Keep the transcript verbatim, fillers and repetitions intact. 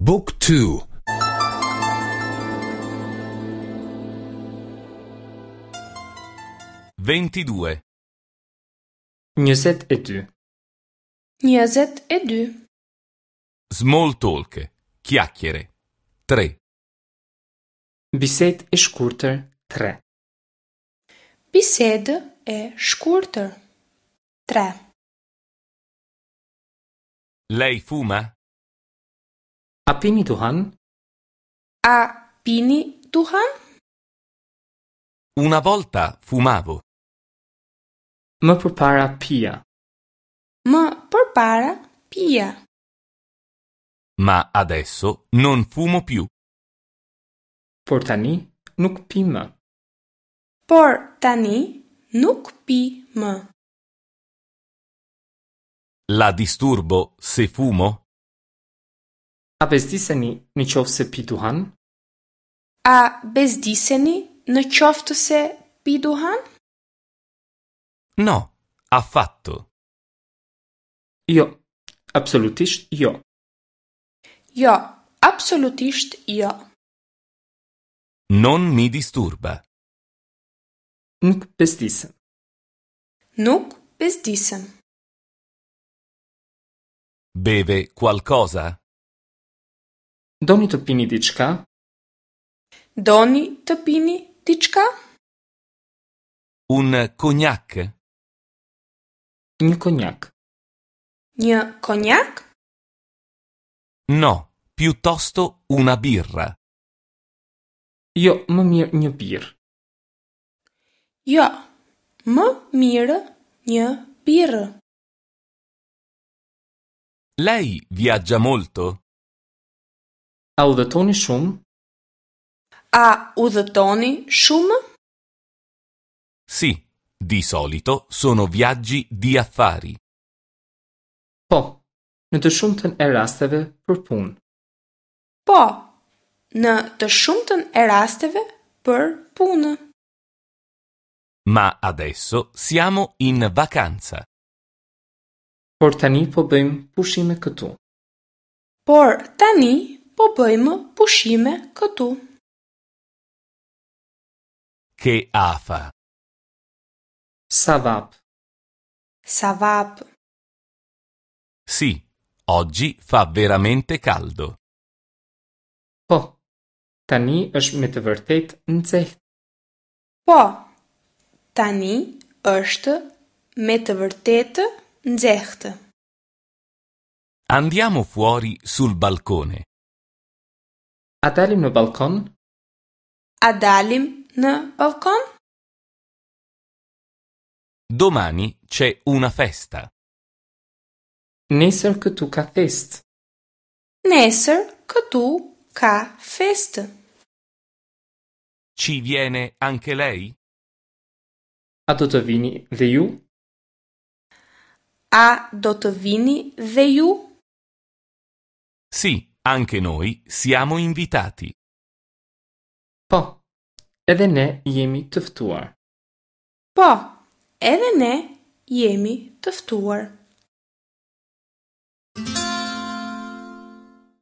Book two. Ventidue. Njëzet e dy. Njëzet e dy. Small talk. Chiacchiere. Tre. Bisedë e shkurtër tre. Bisedë e shkurtër. Tre. Lei fuma? A pini duhan? A pini duhan? Una volta fumavo. Më përpara pija. Më përpara pija. Ma adesso non fumo più. Por tani nuk pi më. Por tani nuk pi më. La disturbo se fumo? A bezdiseni në qoftë se pi duhan? A bezdiseni në qoftë se pi duhan? No, affatto. Jo, absolutisht jo. Jo, absolutisht jo. Non mi disturba. Nuk bezdisem. Nuk bezdisem. Beve qualcosa? Doni të pini diçka? Doni të pini diçka? Un cognac? Një konjak. Një konjak? No, piuttosto una birra. Jo, më mirë një birrë. Jo, më mirë një birrë. Lei viaggia molto? A udhëtoni shumë? A udhëtoni shumë? Sì, di solito sono viaggi di affari. Po, në të shumtën e rasteve për punë. Po, në të shumtën e rasteve për punë. Ma adesso siamo in vacanza. Por tani po bëjmë pushime këtu. Por tani po bëjmë pushime këtu. Che afa! Sa vap. Sa vap. Sì, oggi fa veramente caldo. Po, tani është me të vërtetë nxehtë. Po, tani është me të vërtetë nxehtë. Andiamo fuori sul balcone. A dalim në balkon? A dalim në balkon? Domani c'è una festa. Nesër këtu ka festë. Nesër këtu ka festë. Ci viene anche lei? A do të vini dhe ju? A do të vini dhe ju? Sì, anche noi siamo invitati. Po, edhe ne jemi të ftuar. Po, edhe ne jemi të ftuar.